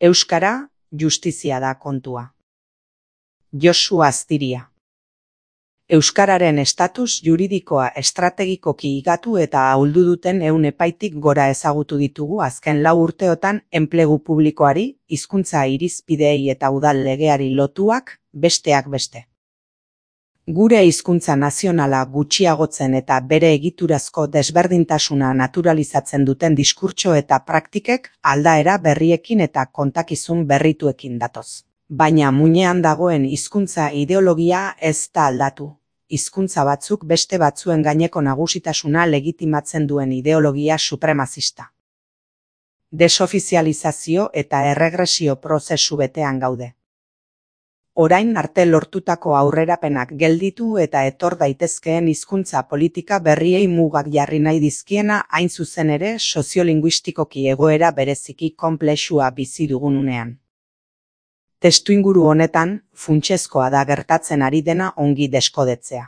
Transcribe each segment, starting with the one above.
Euskara, justizia da kontua. Josu Aztiria. Euskararen estatus juridikoa estrategikoki higatu eta ahuldu duten 100 epaitik gora ezagutu ditugu azken 4 urteotan enplegu publikoari, hizkuntza irizpideei eta udal legeari lotuak, besteak beste. Gure hizkuntza nazionala gutxiagotzen eta bere egiturazko desberdintasuna naturalizatzen duten diskurtso eta praktikek aldaera berriekin eta kontakizun berrituekin datoz. Baina muinean dagoen hizkuntza ideologia ez da aldatu. Hizkuntza batzuk beste batzuen gaineko nagusitasuna legitimatzen duen ideologia supremazista. Desofizializazio eta erregresio prozesu betean gaude. Orain arte lortutako aurrerapenak gelditu eta etor daitezkeen hizkuntza politika berriei mugak jarri nahi dizkiena hain zuzen ere soziolinguistikoki egoera bereziki konplexua bizi dugun unean. Testuinguru honetan, funtsezkoa da gertatzen ari dena ongi deskodetzea.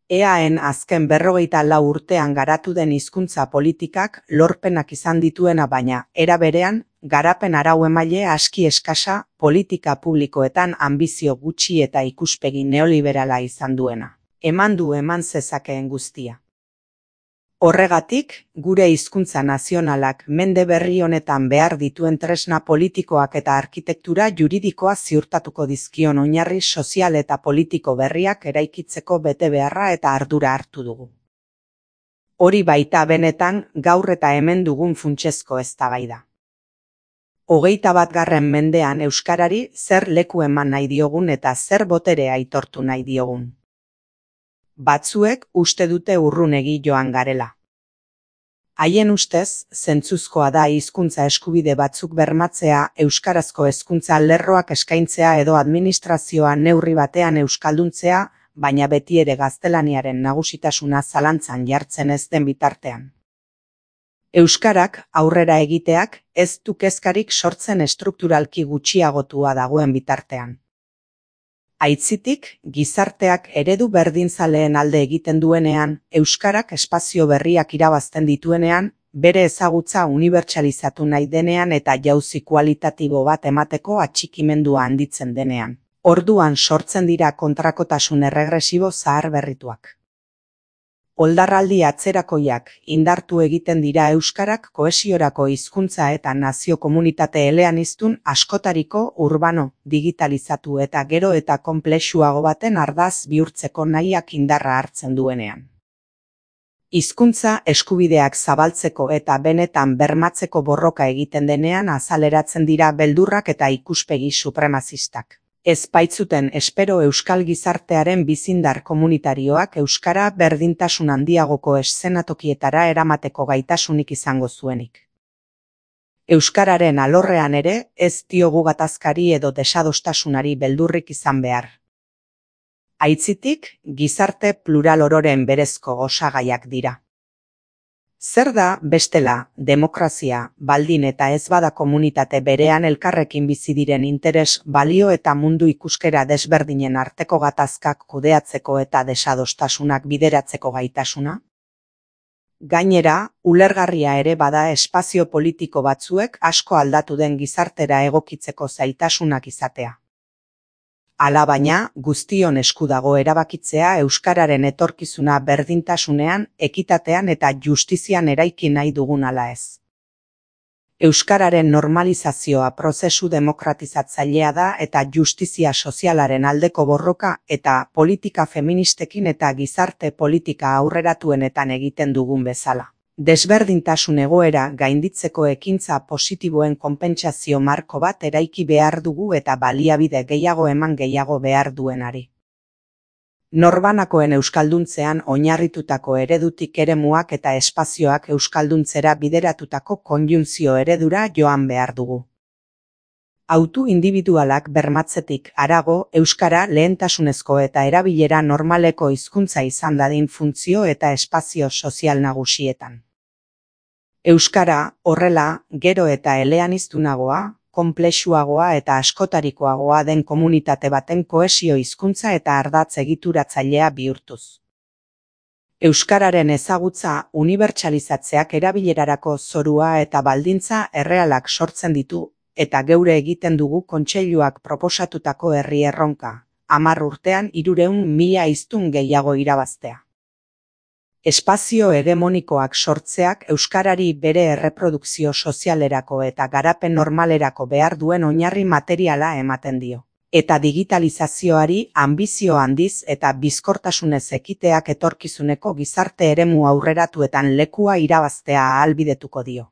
EAen azken 44 urtean garatu den hizkuntza politikak lorpenak izan dituena baina, era berean, garapen arau-emaile aski eskasa, politika publikoetan anbizio gutxi eta ikuspegi neoliberala izan duena. Eman zezakeen guztia. Horregatik, gure hizkuntza nazionalak mende berri honetan behar dituen tresna politikoak eta arkitektura juridikoa ziurtatuko dizkion oinarri sozial eta politiko berriak eraikitzeko betebeharra eta ardura hartu dugu. Hori baita benetan gaur eta hemen dugun funtsezko eztabaida. 21. mendean euskarari zer leku eman nahi diogun eta zer botere aitortu nahi diogun. Batzuek uste dute urrunegi joan garela. Haien ustez, zentzuzkoa da hizkuntza eskubide batzuk bermatzea, euskarazko hezkuntza lerroak eskaintzea edo administrazioa neurri batean euskalduntzea, baina beti ere gaztelaniaren nagusitasuna zalantzan jartzen ez den bitartean. Euskarak aurrera egiteak ez du kezkarik sortzen estrukturalki gutxiagotua dagoen bitartean. Aitzitik, gizarteak eredu berdinzaleen alde egiten duenean, euskarak espazio berriak irabazten dituenean, bere ezagutza unibertsalizatu nahi denean eta jauzi kualitatibo bat emateko atxikimendua handitzen denean. Orduan sortzen dira kontrakotasun erregresibo zaharberrituak. Oldarraldi atzerakoiak indartu egiten dira euskarak kohesiorako hizkuntza eta nazio komunitate eleaniztun askotariko urbano, digitalizatu eta gero eta konplexuago baten ardaz bihurtzeko nahiak indarra hartzen duenean. Hizkuntza eskubideak zabaltzeko eta benetan bermatzeko borroka egiten denean azaleratzen dira beldurrak eta ikuspegi supremazistak. Ez baitzuten espero euskal gizartearen bizindar komunitarioak euskara berdintasun handiagoko eszenatokietara eramateko gaitasunik izango zuenik. Euskararen alorrean ere ez diogu gatazkari edo desadostasunari beldurrik izan behar. Aitzitik, gizarte plural ororen berezko osagaiak dira. Zer da, bestela, demokrazia, baldin eta ez bada komunitate berean elkarrekin bizi diren interes, balio eta mundu ikuskera desberdinen arteko gatazkak kudeatzeko eta desadostasunak bideratzeko gaitasuna? Gainera, ulergarria ere bada espazio politiko batzuek asko aldatu den gizartera egokitzeko zailtasunak izatea. Alabaina, guztion esku dago erabakitzea euskararen etorkizuna berdintasunean, ekitatean eta justizian eraiki nahi dugun ala ez. Euskararen normalizazioa prozesu demokratizatzailea da eta justizia sozialaren aldeko borroka eta politika feministekin eta gizarte politika aurreratuenetan egiten dugun bezala. Desberdintasun egoera gainditzeko ekintza positiboen konpentsazio marko bat eraiki behar dugu eta baliabide gehiago eman gehiago behar duenari. Norbanakoen euskalduntzean oinarritutako eredutik eremuak eta espazioak euskalduntzera bideratutako konjunzio eredura joan behar dugu. Autu individualak bermatzetik harago euskara lehentasunezko eta erabilera normaleko hizkuntza izan dadin funtzio eta espazio sozial nagusietan. Euskara, horrela, gero eta eleaniztunagoa, konplexuagoa eta askotarikoagoa den komunitate baten kohesio hizkuntza eta ardatz egituratzailea bihurtuz. Euskararen ezagutza unibertsalizatzeak erabilerarako zorua eta baldintza errealak sortzen ditu, eta geure egiten dugu kontseiluak proposatutako herri erronka, 10 urtean 300.000 hiztun gehiago irabaztea. Espazio hegemonikoak sortzeak euskarari bere erreprodukzio sozialerako eta garapen normalerako behar duen oinarri materiala ematen dio. Eta digitalizazioari anbizio handiz eta bizkortasunez ekiteak etorkizuneko gizarte eremu aurreratuetan lekua irabaztea ahalbidetuko dio.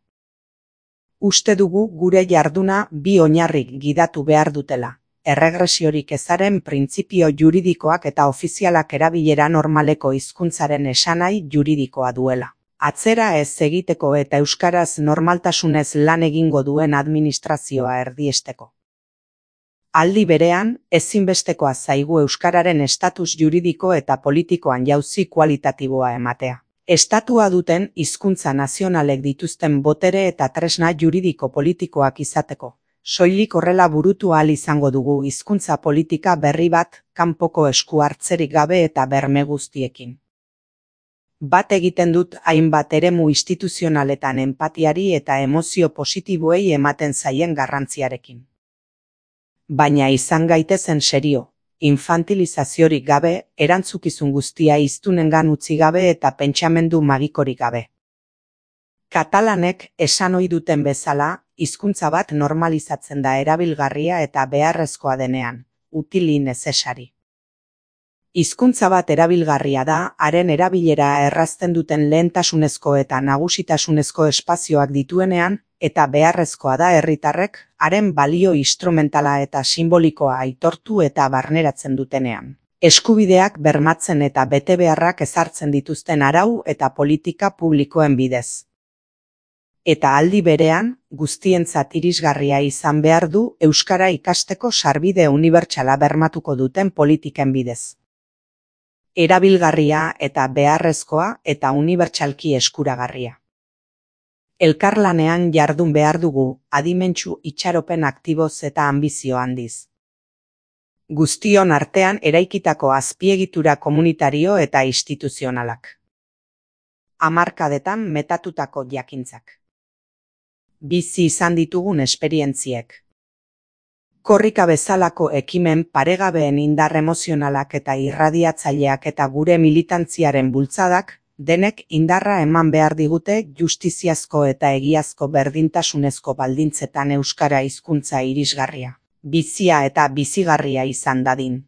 Uste dugu gure jarduna bi oinarrik gidatu behar dutela. Erregresiorik ezaren printzipio juridikoak eta ofizialak erabilera normaleko hizkuntzaren esanahi juridikoa duela. Atzera ez egiteko eta euskaraz normaltasunez lan egingo duen administrazioa erdiesteko. Aldi berean, ezinbestekoa zaigu euskararen estatus juridiko eta politikoan jauzi kualitatiboa ematea. Estatua duten hizkuntza nazionalek dituzten botere eta tresna juridiko politikoak izateko. Soilik horrela burutu ahal izango dugu hizkuntza politika berri bat, kanpoko esku hartzerik gabe eta berme guztiekin. Bat egiten dut hainbat eremu instituzionaletan enpatiari eta emozio positiboei ematen zaien garrantziarekin. Baina izan gaitezen serio, infantilizaziorik gabe, erantzukizun guztia hiztunengan utzi gabe eta pentsamendu magikorik gabe. Katalanek esan ohi duten bezala, hizkuntza bat normalizatzen da erabilgarria eta beharrezkoa denean, utili necessari. Hizkuntza bat erabilgarria da, haren erabilera errazten duten lehentasunezko eta nagusitasunezko espazioak dituenean, eta beharrezkoa da herritarrek, haren balio instrumentala eta simbolikoa aitortu eta barneratzen dutenean. Eskubideak bermatzen eta betebeharrak ezartzen dituzten arau eta politika publikoen bidez. Eta aldi berean, guztientzat irisgarria izan behar du euskara ikasteko sarbide unibertsala bermatuko duten politiken bidez. Erabilgarria eta beharrezkoa eta unibertsalki eskuragarria. Elkarlanean jardun behar dugu, adimentsu itxaropen aktiboz eta anbizio handiz. Guztion artean eraikitako azpiegitura komunitario eta instituzionalak. Hamarkadetan metatutako jakintzak. Bizi izan ditugun esperientziek. Korrika bezalako ekimen paregabeen indar emozionalak eta irradiatzaileak eta gure militantziaren bultzadak, denek indarra eman behar digute justiziazko eta egiazko berdintasunezko baldintzetan euskara hizkuntza irisgarria, bizia eta bizigarria izan dadin.